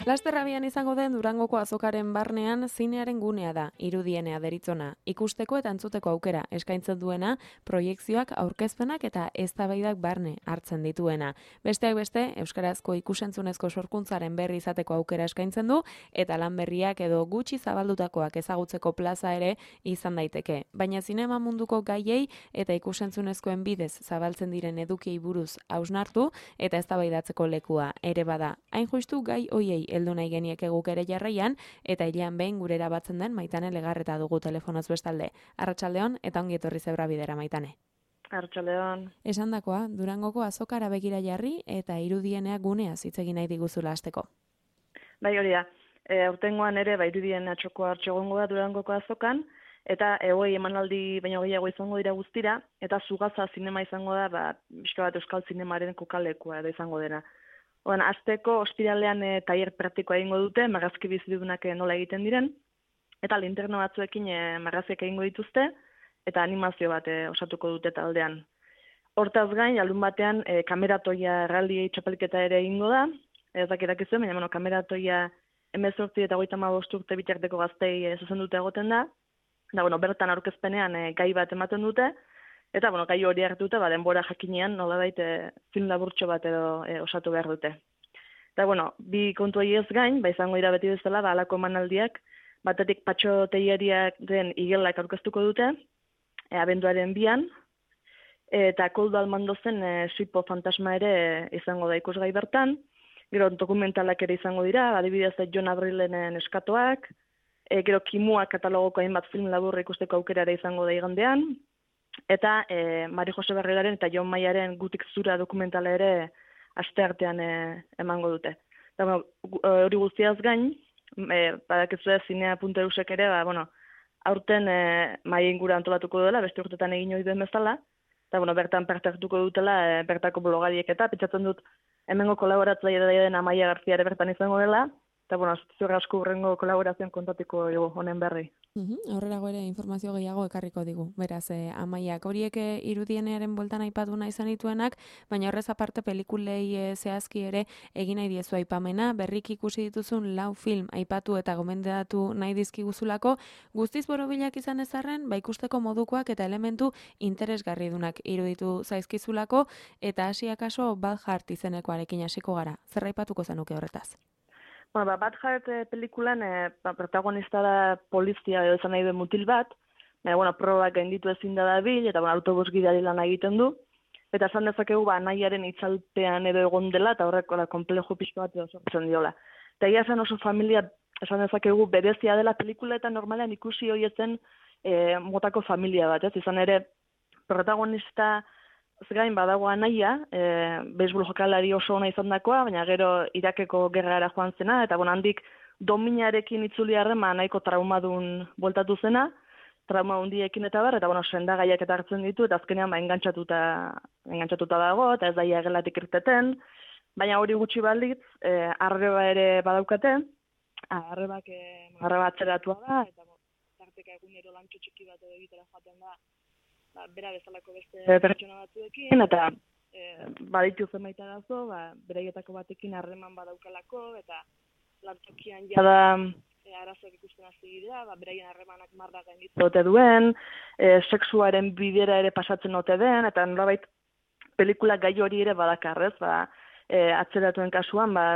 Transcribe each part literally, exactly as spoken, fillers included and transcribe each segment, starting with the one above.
Lasterrabian izango den Durangoko azokaren barnean zinearen gunea da, irudienea deritzona, ikusteko eta entzuteko aukera eskaintzen duena, proiekzioak, aurkezpenak eta eztabaidak barne hartzen dituena. Besteak beste, euskarazko ikusentzunezko sorkuntzaren berri izateko aukera eskaintzen du, eta lan berriak edo gutxi zabaldutakoak ezagutzeko plaza ere izan daiteke. Baina zinema munduko gaiei eta ikusentzunezkoen bidez zabaltzen diren edukiei buruz hausnartu eta eztabaidatzeko lekua ere bada. Hain justu gai hoiei heldu nahi genieke guk ere jarraian, eta hilean behin gurera batzen den Maitane Legarreta dugu telefonoz bestalde. Arratsaldeon eta ongi etorri Zebra Bidera, Maitane. Arratsaldeon. Esandakoa, Durangoko azokara begira jarri eta irudienea guneaz hitz egin nahi diguzula hasteko. Bai, hori da. E, aurtengoan ere ba irudien atxoko hartxo egongo da Durangoko azokan, eta hogei emanaldi baino gehiago izango dira guztira, eta Zugaza zinema izango da, ba, pixka bat euskal zinemaren kokalekua edo izango dena. Oan, azteko ospiralean e, tailer praktikoa egingo dute, marrazki bizidunak nola egiten diren, eta linterna batzuekin e, marraziak egingo dituzte, eta animazio bat e, osatuko dute taldean. Hortaz gain, alun batean, e, kameratoia erraldiei txapelketa ere egingo da, ez dakirak izan, baina bueno, kameratoia hemezortzi eta hogeita hamabost urte bitarteko gaztei e, zuzenduta egoten da, da bueno, bertan aurkezpenean e, gai bat ematen dute, eta, bueno, gai hori hartuta, ba, denbora jakinean, nolabait, e, film laburtxo bat edo e, osatu behar dute. Eta, bueno, bi kontu ez gain, ba, izango dira beti bezala, ba, alako emanaldiak, batetik Patxo Teilariak den igelak aurkeztuko dute, e, abenduaren bian, eta Koldo Almandozen e, Sipo fantasma ere e, izango da ikusgai bertan, gero dokumentalak ere izango dira, adibidez Jon Abrilenen eskatoak, e, gero Kimua katalogoko hainbat film laburra ikusteko aukera ere izango da igandean, eta e, Mari Jose Barreraren eta Jon Maiaren Gutik zura dokumentala ere asteartean e, emango dute. Eta, bueno, hori guztiaz gain, e, badakizu zinea puntu eusek ere, ba, bueno, aurten e, mai ingura antolatuko dela, beste urtetan egin hori den bezala, eta, bueno, bertan parte hartuko dutela, e, bertako blogariek eta, pentsatzen dut, hemengo kolaboratzaile den Amaia Garcia ere bertan izango dela, eta, bueno, ziur asko hurrengo kolaborazioan kontatuko dugu honen berri. Uhum, aurrerago ere informazio gehiago ekarriko digu. Beraz, eh, Amaiak horiek eh, irudienearen bueltan aipatu nahi izan dituenak, baina horrez aparte pelikulei eh, zehazki ere egin nahi diezu aipamena, berriki ikusi dituzun lau film aipatu eta gomendatu nahi dizkiguzulako, guztiz borobilak izan ezarren, ba ikusteko modukoak eta elementu interesgarridunak iruditu zaizkizulako, eta hasi akaso Bad izenekoarekin hasiko gara. Zer aipatuko zenuke horretaz? Bueno, ba, Bad Heart e, pelikulan e, ba, protagonista da polizia edo izan nahi den mutil bat, baina, bueno, probak gainditu ezin da dabil, eta bueno, autobus gidari lan egiten du, eta esan dezakegu ba, nahiaren itzalpean edo egon dela, eta horrek da, komplejo pixko bat edo sortzen diola. Eta ia esan oso familia, esan dezakegu berezia dela pelikula eta normalean ikusi horietzen e, motako familia bat, ez? Izan ere, protagonista gain badago anaia, e, beisbol jokalari oso ona izan dakoa, baina gero Irakeko gerrara joan zena, eta bon, handik dominarekin itzuli harrema nahiko traumadun bueltatu zena, trauma hundiekin eta bar, eta bueno, sendagaiak eta hartzen ditu, eta azkenean ba, engantzatuta, engantzatuta dago, eta ez daia gelatik irteten, baina hori gutxi balditz, e, arreba ere badaukate, arrebak e, arreba atzeratua da, eta bon, tarteka egunero lantxo txiki bat edo egitera joaten da, ba, bera bezalako beste pertsona batzuekin, eta e, baditu zenbait arazo, ba, beraietako batekin harreman badaukalako, eta lantokian jada e, arazoak ikusten hasi dira, ba, beraien harremanak marra gainditu ote duen, e, sexuaren bidera ere pasatzen ote den, eta nolabait pelikula gai hori ere badakarrez, ba, e, atzeratuen kasuan, ba,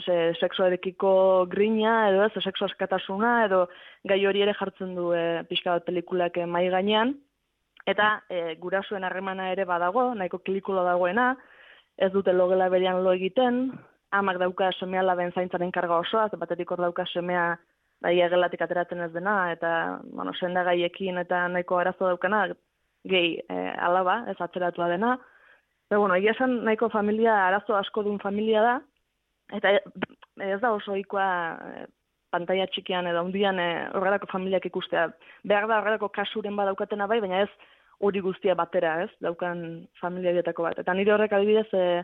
se, sexuarekiko grina, edo ez, sexu askatasuna, edo gai hori ere jartzen du e, pixka bat pelikulak e, mai gainean, eta e, gurasoen harremana ere badago, nahiko klikula dagoena, ez dute logela berean lo egiten, amak dauka semea laben zaintzaren karga osoa, batetik hor dauka semea daia gelatik ateratzen ez dena, eta bueno, sendagaiekin eta nahiko arazo daukana, gehi e, alaba, ez atzeratua dena. Eta bueno, egia esan nahiko familia, arazo asko duen familia da, eta ez da oso ohikoa e, pantalla txikian edo hundian e, horrelako familiak ikustea. Behar da horrelako kasuren badaukatena bai, baina ez hori guztia batera, ez, daukan familia dietako bat. Eta nire horrek adibidez e,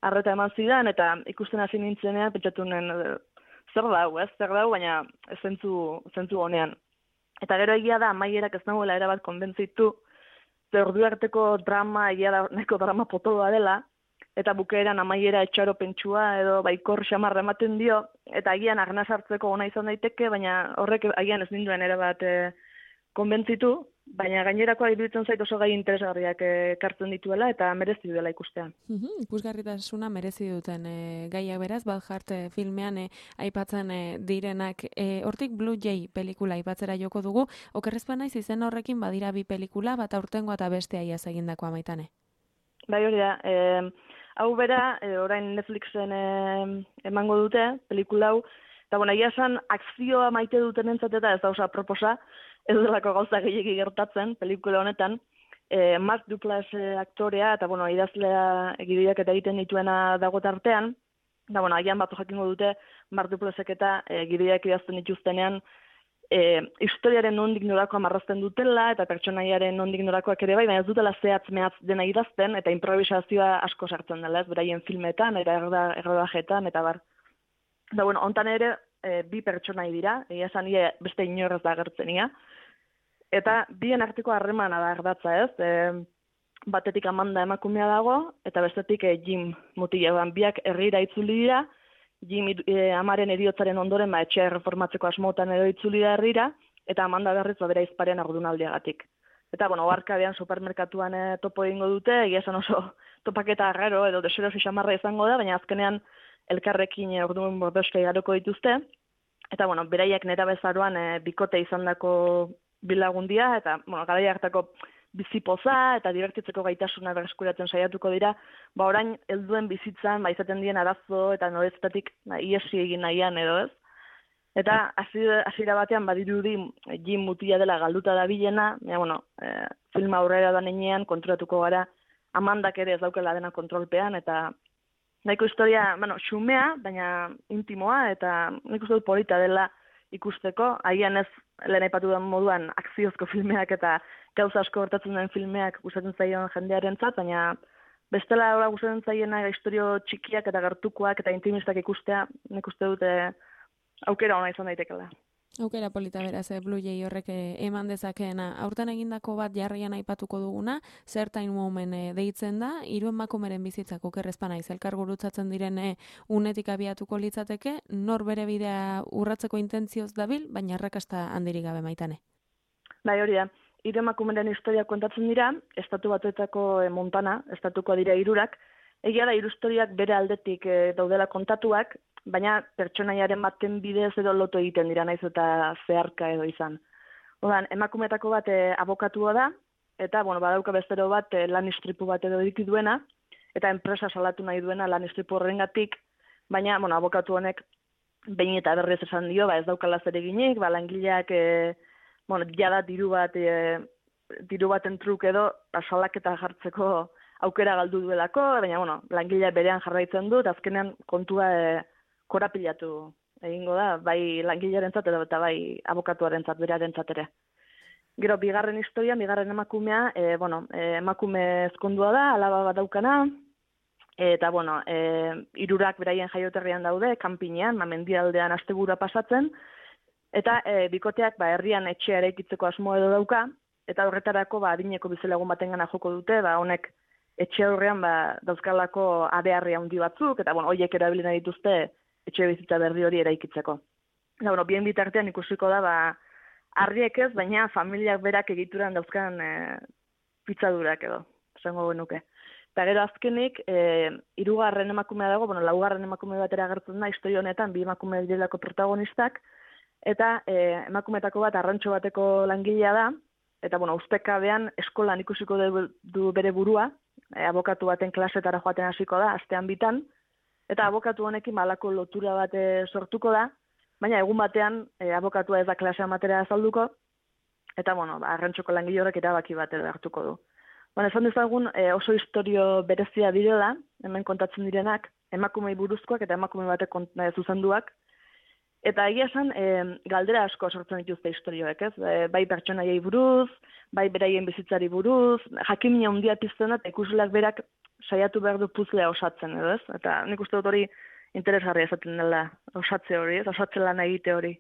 arreta eman zidan, eta ikusten hasi nintzenean, pentsatu nuen, e, zer dau, ez, zer dau, baina zentzu, zentzu honean. Eta gero egia da, Amaierak ez nagoela erabat konbentzitu, ze ordu arteko drama, egia da, nahiko drama potoloa dela, eta bukaeran amaiera etxaropentsua edo baikor xamarra ematen dio, eta agian arnaz hartzeko ona izan daiteke, baina horrek agian ez ninduen ere bat e, konbentzitu, baina gainerakoa iruditzen zait oso gai interesgarriak ekartzen dituela eta merezi duela ikustea. Uhum, ikusgarritasuna merezi duten e, gaiak beraz, Balhart e, filmean e, aipatzen e, direnak. E, hortik Blue Jay pelikula aipatzera joko dugu, okerrezpen naiz izen horrekin badira bi pelikula, bat aurtengoa eta bestea iaz egindakoa Maitane. Bai hori da, e, hau bera, e, orain Netflixen e, emango dute, pelikula hau, eta bueno, egia esan akzioa maite duten entzat eta ez da osa proposa, ez delako gauza gehiagi gertatzen pelikula honetan, e, Mark Duplass e, aktorea, eta bueno, idazlea egibideak eta egiten dituena dago tartean, eta bueno, agian batu jakingo dute Mark Duplassek eta e, egibideak idazten dituztenean, E, historiaren nondik norakoa marrazten dutela, eta pertsonaiaren nondik norakoak ere bai, baina ez dutela zehatz mehatz dena idazten, eta improvisazioa asko sartzen dela, ez, beraien filmetan, eta errodajetan, eta bar. Da, bueno, ontan ere, e, bi pertsonai dira, egia esan ie beste inorrez da agertzenia, eta bien arteko harremana da ardatza, ez, e, batetik Amanda emakumea dago, eta bestetik e, Jim mutila, biak herrira itzuli dira, Jim e, amaren eriotzaren ondoren ba, etxea reformatzeko asmotan edo itzuli da herrira, eta Amanda berriz bera izparen agudunaldiagatik. Eta, bueno, oarkabean supermerkatuan e, topo egingo dute, egia esan oso topaketa arraro edo deserosi xamarra izango da, baina azkenean elkarrekin e, orduan bordoska igaroko dituzte. Eta, bueno, beraiek nera bezaroan e, bikote izandako bilagundia, eta, bueno, garaia hartako bizipoza eta divertitzeko gaitasuna berreskuratzen saiatuko dira, ba orain helduen bizitzan ba izaten dien arazo eta noreztatik ba, iesi egin nahian edo ez. Eta hasiera batean badirudi Jim mutila dela galduta dabilena, ja, bueno, e, film aurrera da nenean konturatuko gara Amandak ere ez daukela dena kontrolpean, eta nahiko historia, bueno, xumea, baina intimoa, eta nik uste dut polita dela ikusteko, agian ez lehen aipatu den moduan akziozko filmeak eta gauza asko gertatzen den filmeak gustatzen zaion jendearentzat, baina bestela ora gustatzen zaiena istorio txikiak eta gertukoak eta intimistak ikustea, nik uste dute aukera ona izan daitekeela. Aukera polita beraz, Blue Jay horrek eman dezakeena. Aurten egindako bat jarrian aipatuko duguna, Certain Woman deitzen da, hiru emakumeren bizitzak okerrezpa naiz elkar gurutzatzen diren unetik abiatuko litzateke, nor bere bidea urratzeko intentzioz dabil, baina arrakasta handirik gabe Maitane. Bai, hori da. Hiru emakumeren historia kontatzen dira, estatu batuetako Montana, estatuko dira hirurak, egia da hiru historiak bere aldetik e, daudela kontatuak, baina pertsonaiaren baten bidez edo loto egiten dira naiz eta zeharka edo izan. Odan, emakumeetako bat e, abokatua da, eta bueno, badauka bestero bat e, lan istripu bat edo diki duena, eta enpresa salatu nahi duena lan istripu horrengatik, baina bueno, abokatu honek behin eta berriz esan dio, ba ez daukala zer eginik, ba langileak e, bueno, jada diru bat e, diru baten truk edo ba, salaketa jartzeko aukera galdu duelako, baina bueno, langilea berean jarraitzen du, eta azkenean kontua e, korapilatu egingo da, bai langilearentzat edo eta bai abokatuarentzat berarentzat ere. Gero bigarren historia, bigarren emakumea, e, bueno, e, emakume ezkondua da, alaba bat daukana, eta bueno, e, hirurak beraien jaioterrian daude, kanpinean, ma mendialdean astegura pasatzen, eta e, bikoteak ba herrian etxea eraikitzeko asmo edo dauka, eta horretarako ba adineko bizelagun batengana joko dute, ba honek etxe aurrean ba dauzkalako abeharri handi batzuk, eta bueno, hoiek erabili nahi dituzte etxe bizitza berri hori eraikitzeko. Eta, bueno, bien bitartean ikusiko da, ba, harriek ez, baina familiak berak egituran dauzkan e, pitzadurak edo, esango genuke. Eta gero azkenik, e, hirugarren emakumea dago, bueno, laugarren emakume batera agertzen da, historia honetan, bi emakume direlako protagonistak, eta e, emakumeetako bat arrantxo bateko langilea da, eta, bueno, ustekabean eskolan ikusiko du, du bere burua, e, abokatu baten klasetara joaten hasiko da, astean bitan, eta abokatu honekin malako lotura bat sortuko da, baina egun batean e, abokatua ez da klasea matera azalduko, eta bueno, ba, arrantxoko langile horrek erabaki bat edo hartuko du. Bueno, esan dezagun e, oso historio berezia direla, hemen kontatzen direnak, emakumei buruzkoak eta emakume batek e, zuzenduak, eta egia esan e, galdera asko sortzen dituzte historioek, ez? E, bai pertsonaiei buruz, bai beraien bizitzari buruz, jakimina handia pizten da, eta ikusleak berak saiatu behar du puzlea osatzen, edo ez? Eta nik uste dut hori interesgarria esaten dela osatze hori, ez? Osatze lan egite hori.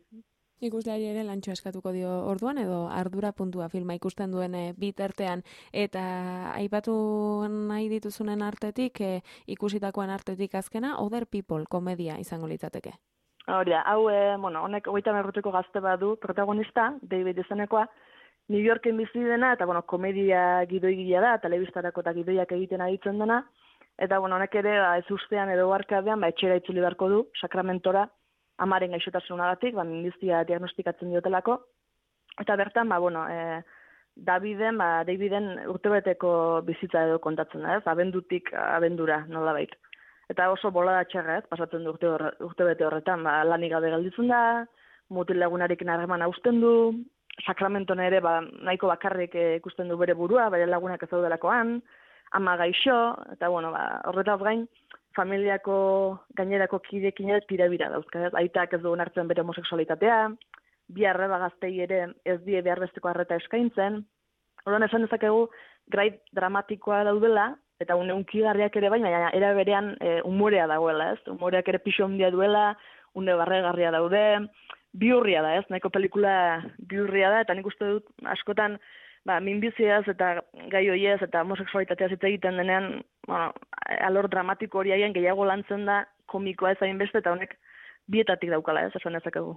Ikusleari ere lantxo eskatuko dio orduan edo ardura puntua filma ikusten duen e, bitartean eta aipatu nahi dituzunen artetik e, ikusitakoan artetik azkena Other People komedia izango litzateke. Hori da, hau, e, bueno, honek hogeita hamar gazte badu protagonista, David izenekoa, New Yorken bizi dena, eta, bueno, komedia gidoigilea da, telebistarako eta gidoiak egiten aditzen dena, eta, bueno, honek ere, ba, ez ustean edo barkadean, ba, etxera itzuli beharko du, Sacramentora, amaren gaixotasunagatik, ba, minbizia diagnostikatzen diotelako, eta bertan, ba, bueno, e, Daviden, ba, Daviden urtebeteko bizitza edo kontatzen da, ez, abendutik abendura, nolabait. Eta oso bolada txarra, ez, pasatzen du urte horre, urtebete horretan, ba, lanik gabe gelditzen da, mutil lagunarekin harreman hausten du, Sakramenton ere ba, nahiko bakarrik ikusten du bere burua, bere lagunak ez daudelakoan, ama gaixo, eta bueno, ba, horretaz gain, familiako gainerako kidekin ere tirabira dauzka, ez? Aitak ez dugun hartzen bere homosexualitatea, bi arreba gaztei ere ez die behar besteko arreta eskaintzen, orduan esan dezakegu, grait dramatikoa daudela, eta une unkigarriak ere baina, era berean e, umorea dagoela, ez? Umoreak ere pixo handia duela, une barregarria daude, biurria da, ez? Nahiko pelikula biurria da, eta nik uste dut askotan ba, minbiziaz eta gai hoiez eta homosexualitateaz hitz egiten denean, bueno, alor dramatiko hori haien gehiago lantzen da komikoa ez hainbeste, eta honek bietatik daukala, ez? Esan dezakegu.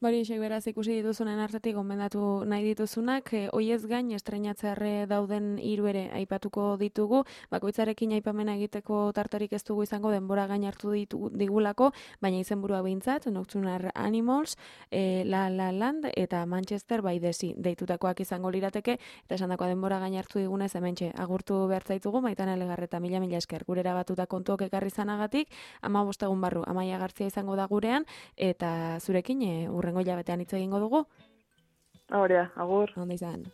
Bari, esek beraz ikusi dituzunen artetik gomendatu nahi dituzunak, e, oiez gain estreinatzearre dauden hiru ere aipatuko ditugu, bakoitzarekin aipamena egiteko tartarik ez dugu izango denbora gain hartu ditu, digulako, baina izenburua behintzat, Nocturnal Animals, e, La La Land eta Manchester by the Sea deitutakoak izango lirateke, eta esandakoa denbora gain hartu digunez hementxe agurtu behar zaitugu, Maitane Legarreta mila mila esker gurera batuta kontuok ekarri zanagatik, ama bostegun barru, Amaia Gartzia izango da gurean, eta zurekin e, urrengo hilabetean hitz egingo dugu. Hori da, agur. Onda izan.